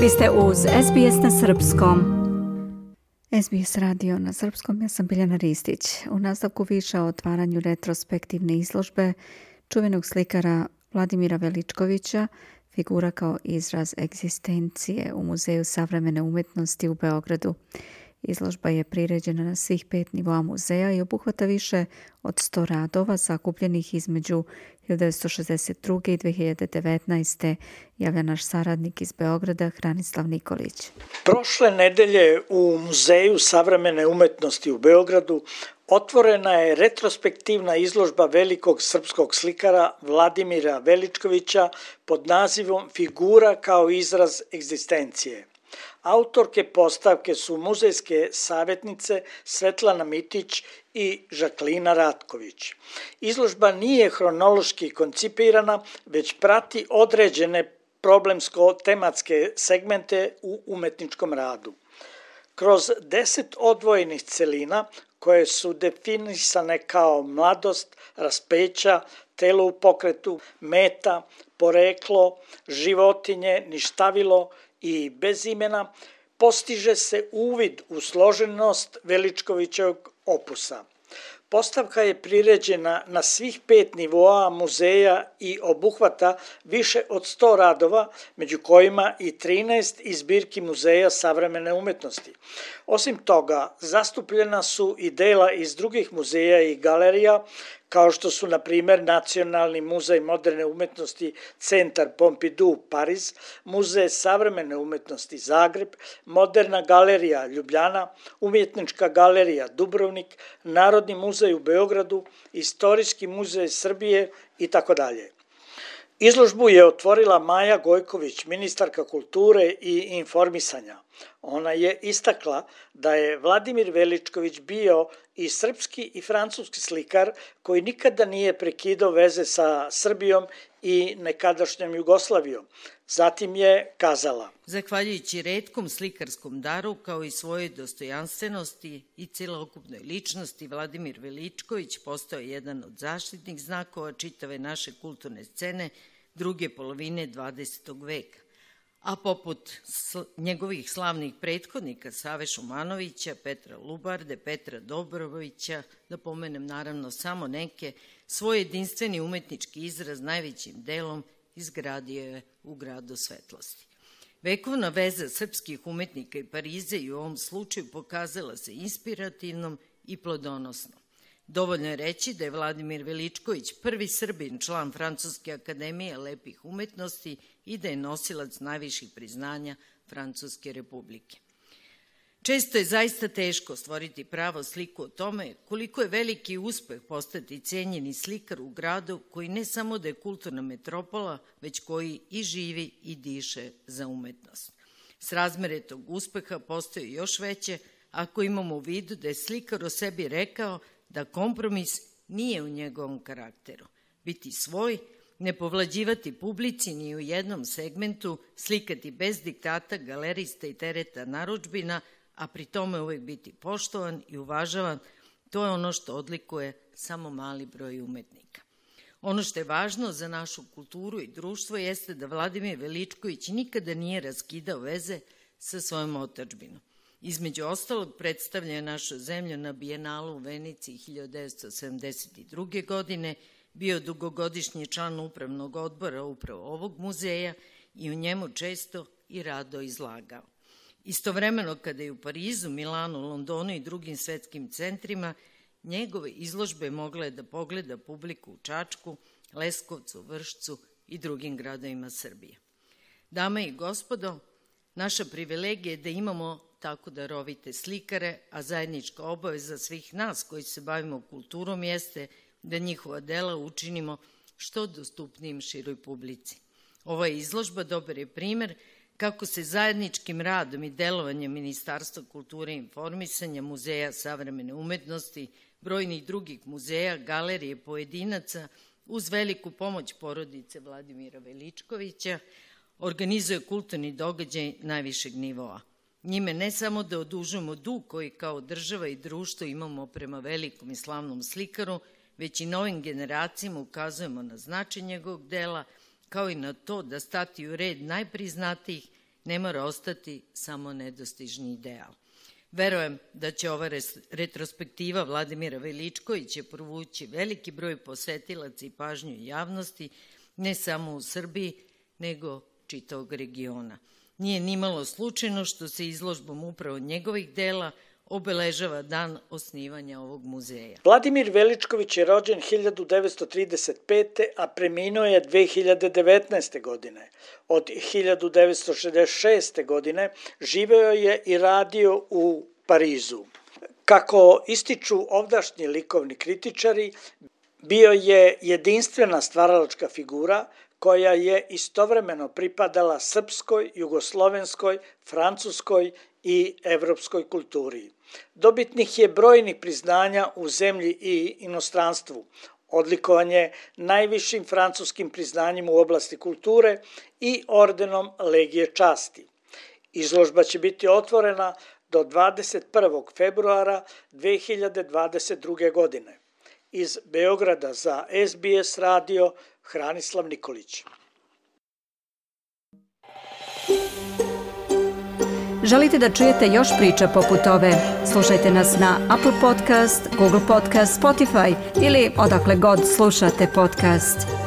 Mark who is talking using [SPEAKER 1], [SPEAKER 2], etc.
[SPEAKER 1] Vi ste uz SBS na srpskom. SBS radio na srpskom, ja sam Biljana Ristić. U nastavku više o otvaranju retrospektivne izložbe čuvenog slikara Vladimira Veličkovića, figura kao izraz egzistencije u Muzeju savremene umetnosti u Beogradu. Izložba je priređena na svih 5 nivoa muzeja i obuhvata više od 100 radova sakupljenih između 1962. i 2019. javlja naš saradnik iz Beograda, Hranislav Nikolić.
[SPEAKER 2] Prošle nedelje u Muzeju savremene umetnosti u Beogradu otvorena je retrospektivna izložba velikog srpskog slikara Vladimira Veličkovića pod nazivom Figura kao izraz egzistencije. Autorke postavke su muzejske savjetnice Svetlana Mitić i Žaklina Ratković. Izložba nije hronološki koncipirana, već prati određene problemsko-tematske segmente u umetničkom radu. Kroz 10 odvojenih celina, koje su definisane kao mladost, raspeća, telo u pokretu, meta, poreklo, životinje, ništavilo i bez imena, postiže se uvid u složenost Veličkovićevog opusa. Postavka je priređena na svih 5 nivoa muzeja i obuhvata više od 100 radova, među kojima i 13 iz zbirki Muzeja savremene umetnosti. Osim toga, zastupljena su i dela iz drugih muzeja i galerija, kao što su, na primjer, Nacionalni muzej moderne umetnosti Centar Pompidou Pariz, Muzej savremene umetnosti Zagreb, Moderna galerija Ljubljana, Umjetnička galerija Dubrovnik, Narodni muzej u Beogradu, Istorijski muzej Srbije itd. Izložbu je otvorila Maja Gojković, ministarka kulture i informisanja. Ona je istakla da je Vladimir Veličković bio i srpski i francuski slikar koji nikada nije prekidao veze sa Srbijom i nekadašnjom Jugoslavijom. Zatim je kazala:
[SPEAKER 3] Zahvaljujući retkom slikarskom daru kao i svojoj dostojanstvenosti i celokupnoj ličnosti, Vladimir Veličković postao je jedan od zaštitnih znakova čitave naše kulturne scene druge polovine 20. veka. A poput njegovih slavnih prethodnika Save Šumanovića, Petra Lubarde, Petra Dobrovića, da pomenem naravno samo neke, svoj jedinstveni umetnički izraz najvećim delom izgradio je u gradu svetlosti. Vekovna veza srpskih umetnika i Pariza i u ovom slučaju pokazala se inspirativnom i plodonosnom. Dovoljno je reći da je Vladimir Veličković prvi Srbin član Francuske akademije lepih umetnosti i da je nosilac najviših priznanja Francuske republike. Često je zaista teško stvoriti pravo sliku o tome koliko je veliki uspeh postati cenjeni slikar u gradu koji ne samo da je kulturna metropola, već koji i živi i diše za umetnost. Srazmere tog uspeha postaju još veće ako imamo u vidu da je slikar o sebi rekao da kompromis nije u njegovom karakteru. Biti svoj, ne povlađivati publici ni u jednom segmentu, slikati bez diktata galerista i tereta narudžbina, a pri tome uvek biti poštovan i uvažavan, to je ono što odlikuje samo mali broj umetnika. Ono što je važno za našu kulturu i društvo jeste da Vladimir Veličković nikada nije raskidao veze sa svojom otadžbinom. Između ostalog predstavlja našu zemlju na Bijenalu u Veniciji 1972. godine, bio dugogodišnji član upravnog odbora upravo ovog muzeja i u njemu često i rado izlagao. Istovremeno kada je u Parizu, Milanu, Londonu i drugim svetskim centrima, njegove izložbe mogla je da pogleda publiku u Čačku, Leskovcu, Vršcu i drugim gradovima Srbije. Dame i gospodo, naša privilegija je da imamo tako darovite slikare, a zajednička obaveza svih nas koji se bavimo kulturom jeste da njihova dela učinimo što dostupnijim široj publici. Ova izložba dobar je primer kako se zajedničkim radom i delovanjem Ministarstva kulture i informisanja, Muzeja savremene umetnosti, brojnih drugih muzeja, galerije, pojedinaca, uz veliku pomoć porodice Vladimira Veličkovića, organizuje kulturni događaj najvišeg nivoa. Njime ne samo da odužujemo dug koji kao država i društvo imamo prema velikom i slavnom slikaru, već i novim generacijama ukazujemo na značaj njegovog dela, kao i na to da stati u red najpriznatijih, ne mora ostati samo nedostižni ideal. Verujem da će ova retrospektiva Vladimira Veličkovića provući veliki broj posetilaca i pažnju javnosti, ne samo u Srbiji, nego čitavog regiona. Nije nimalo slučajno što se izložbom upravo njegovih dela obeležava dan osnivanja ovog muzeja.
[SPEAKER 2] Vladimir Veličković je rođen 1935. a preminuo je 2019. godine. Od 1966. godine živeo je i radio u Parizu. Kako ističu ovdašnji likovni kritičari, bio je jedinstvena stvaralačka figura koja je istovremeno pripadala srpskoj, jugoslovenskoj, francuskoj i evropskoj kulturi. Dobitnik je brojnih priznanja u zemlji i inostranstvu. Odlikovan je najvišim francuskim priznanjem u oblasti kulture i ordenom Legije časti. Izložba će biti otvorena do 21. februara 2022. godine. Iz Beograda za SBS radio Hranislav Nikolić.
[SPEAKER 1] Želite da čujete još priča poput ove? Slušajte nas na Apple Podcast, Google Podcast, Spotify ili odakle god slušate podcast.